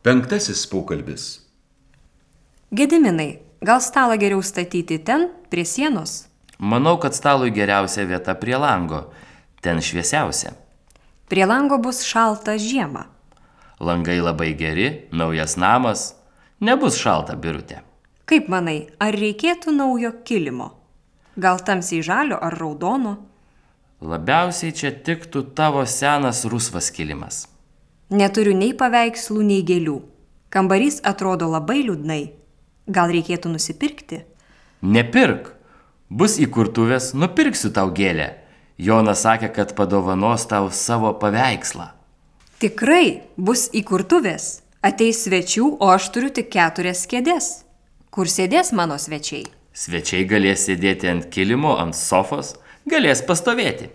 Penktasis pokalbis. Gediminai, gal stalą geriau statyti ten, prie sienos? Manau, kad stalui geriausia vieta prie lango. Ten šviesiausia. Prie lango bus šalta žiemą. Langai labai geri, naujas namas. Nebus šalta, Birutė. Kaip manai, ar reikėtų naujo kilimo? Gal tamsiai žalio ar raudono? Labiausiai čia tiktų tavo senas rusvas kilimas. Neturiu nei paveikslų, nei gėlių. Kambarys atrodo labai liūdnai. Gal reikėtų nusipirkti? Nepirk. Bus įkurtuvės, nupirksiu tau gėlę. Jonas sakė, kad padovanos tau savo paveikslą. Tikrai, bus įkurtuvės. Ateis svečių, o aš turiu tik 4 kėdės. Kur sėdės mano svečiai? Svečiai galės sėdėti ant kilimo, ant sofos, galės pastovėti.